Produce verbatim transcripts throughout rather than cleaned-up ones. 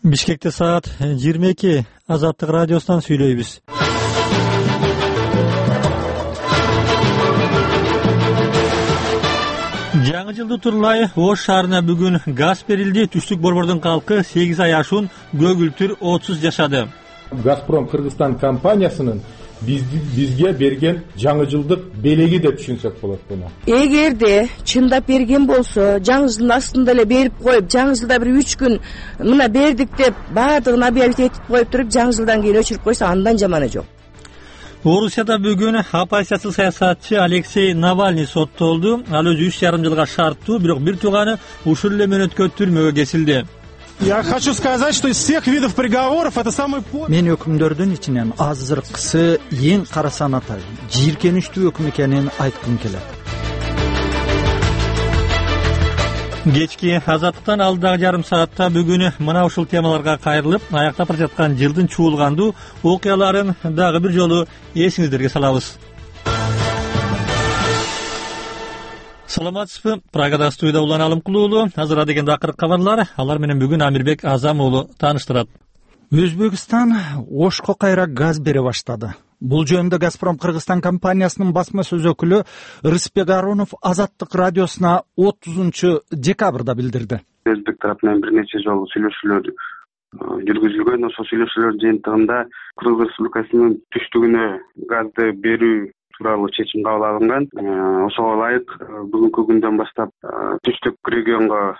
Бишкекте саат жыйырма эки. Азаттык радиосунан сүйлөйбүз. Жаңы жылды турлай Ош шаарына бүгүн газ берилди. Түштүк Борбордун калкы сегиз ай ашуун көгүлтүр отсуз жашады. Газпром Кыргызстан компаниясынын бизге берген жаңы жылдык белеги деп түшүнсөк болот буну. Эгерде чындап берген болсо, жаңы жылдын астында эле берип коюп, жаңы жылда бир үч күн мына бердик деп баардыгын объявить этип коюп туруп, жаңы жылдан кийин өчүрүп койсо андан жаманы жок. Орусияда бүгүн оппозициячыл саясатчы Алексей Навальный соттолду. Ал өзү үч жарым жылга шарттуу, бирок бир тууганы ушул эле мөөнөткө түрмөгө кесилди. Я хочу сказать, что из всех видов приговоров это самый... Мен өкүмдөрдүн ичинен азыркысы эң кара санатай, жийиркеничтүү өкүм экенин айткым келет. Кечки Азаттыктан алдагы жарым саатта бүгүн мына ушул темаларга кайрылып, аяктап бара жаткан жылдын чуулгандуу окуяларын дагы бир жолу эсиңиздерге салабыз. Саламатсызбы? Прагада студияда Улан Алымкул уулу. Азыр деген акыркы кабарлар. Алар менен бүгүн Амирбек Азам уулу тааныштырат. Өзбекстан Ошко кайра газ бере баштады. Бул жөнүндө Газпром Кыргызстан компаниясынын басма сөз өкүлү Рыспек Аронов Азаттык радиосуна отузунчу декабрда билдирди. Өзбек тарапынан бир нече жолу сүйлөшүүлөр жүргүзүлгөн. Ошол сүйлөшүүлөр жыйынтыгында Кыргыз Республикасынын түштүгүнө газды берүү тууралуу чечим кабыл алынган. Ошого ылайык бүгүнкү күндөн баштап түштүк регионго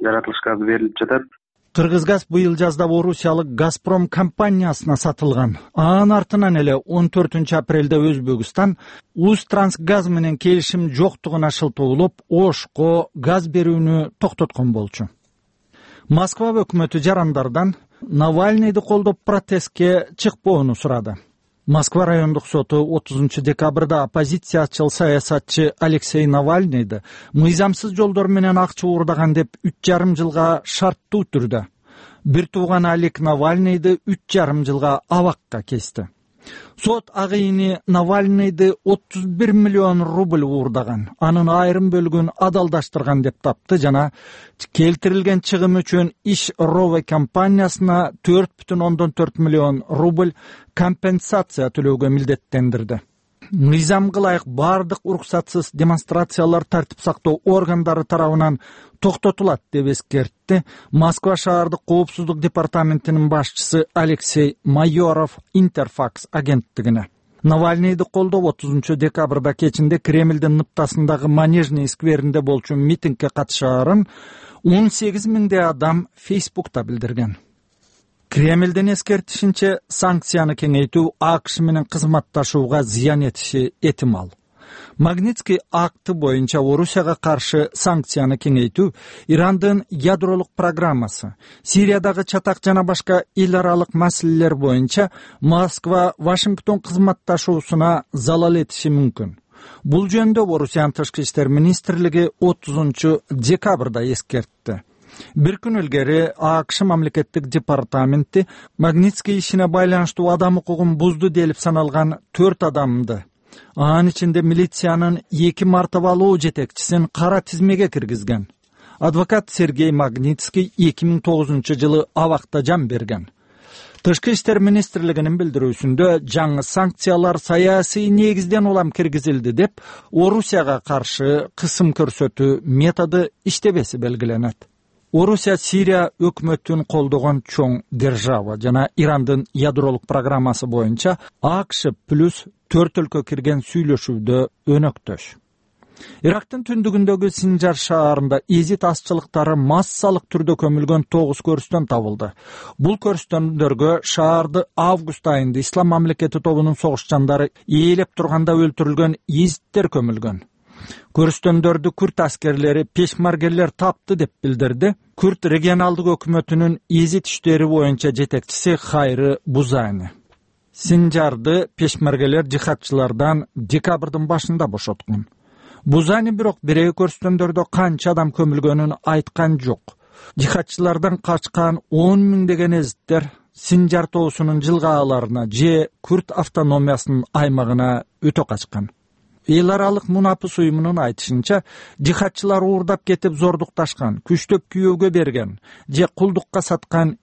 жаратылыш газы берилип жатат. Кыргызгаз быйыл жазда орусиялык Газпром компаниясына сатылган. Анын артынан эле он төртүнчү апрелде Өзбекстан Узтрансгаз менен келишим жоктугуна шылтоолоп, Ошко газ берүүнү токтоткон болчу. Москва өкмөтү жарандардан Навальныйды колдоп протестке чыкпоону сурады. Москва райондук соту отузунчу декабрда оппозициячыл саясатчы Алексей Навальныйды мыйзамсыз жолдор менен акча уурдаган деп үч жарым жылга шарттуу түрдө, бир тууган Алек Навальныйды үч жарым жылга абакка кести. Сот агыйыны Навальныйды отуз бир миллион рубль уурдаган, анын айрым бөлүгүн адалдаштырган деп тапты жана келтирилген чыгым үчүн Иш Рове компаниясына төрт бүтүн ондон төрт миллион рубль компенсация төлөөгө милдеттендирди. Мыйзамга ылайык бардык уруксатсыз демонстрациялар тартип сактоо органдары тарабынан токтотулат деп эскертти Москва шаардык коопсуздук департаментинин башчысы Алексей Майоров Интерфакс агенттигине. Навальныйды колдоп отузунчу декабрда кечинде Кремлдин ныптасындагы Манежный скверинде болчу митингге катышаарын он сегиз миңдей адам Фейсбукта билдирген. Кремлдин эскертишинче, санкцияны кеңейтүү АКШ менен кызматташууга зыян этиши этимал. Магнитский акты боюнча Орусияга каршы санкцияны кеңейтүү Ирандын ядролук программасы, Сириядагы чатак жана башка эл аралык маселелер боюнча Москва Вашингтон кызматташуусуна залал этиши мүмкүн. Бул жөнүндө Орусиянын тышкы иштер министрлиги отузунчу декабрда эскертти. Бир күн илгери АКШ мамлекеттик департаменти Магнитский ишине байланыштуу адам укугун бузду делип саналган төрт адамды, анын ичинде милициянын эки мартабалуу жетекчисин кара тизмеге киргизген. Адвокат Сергей Магнитский эки миң тогузунчу жылы абакта жан берген. Тышкы иштер министрлигинин билдирүүсүндө жаңы санкциялар саясий негизден улам киргизилди деп Орусияга каршы кысым көрсөтүү методу иштебеси белгиленет. Орусия Сирия өкмөтүн колдогон чоң держава жана Ирандын ядролук программасы боюнча АКШ плюс төрт өлкө кирген сүйлөшүүдө өнөктөш. Ирактын түндүгүндөгү Синжар шаарында изит азчылыктары массалык түрдө көмүлгөн тогуз көрүстөн табылды. Бул көрүстөндөргө шаарды август айында Ислам мамлекети тобунун согушчандары ээлеп турганда өлтүрүлгөн изиттер көмүлгөн. Көрүстөндөрдү күрт аскерлери пешмаргерлер тапты деп билдирди Күрт регионалдык өкмөтүнүн изит иштери боюнча жетекчиси Хайры Бузани. Синжарды пешмаргелер жихадчылардан декабрдын башында бошоткон. Бузани бирок бирээ көрүстөндөрдө канча адам көмүлгөнүн айткан жок. Жихадчылардан качкан он миңдеген эзиттер Синжар тоосунун жылгааларына же Күрт автономиясынын аймагына өтө качкан. Эл аралык мунапыс уюмунун айтышынча, жихадчылар уурдап кетип зордукташкан, күчтөп күйөөгө берген же кулдукка саткан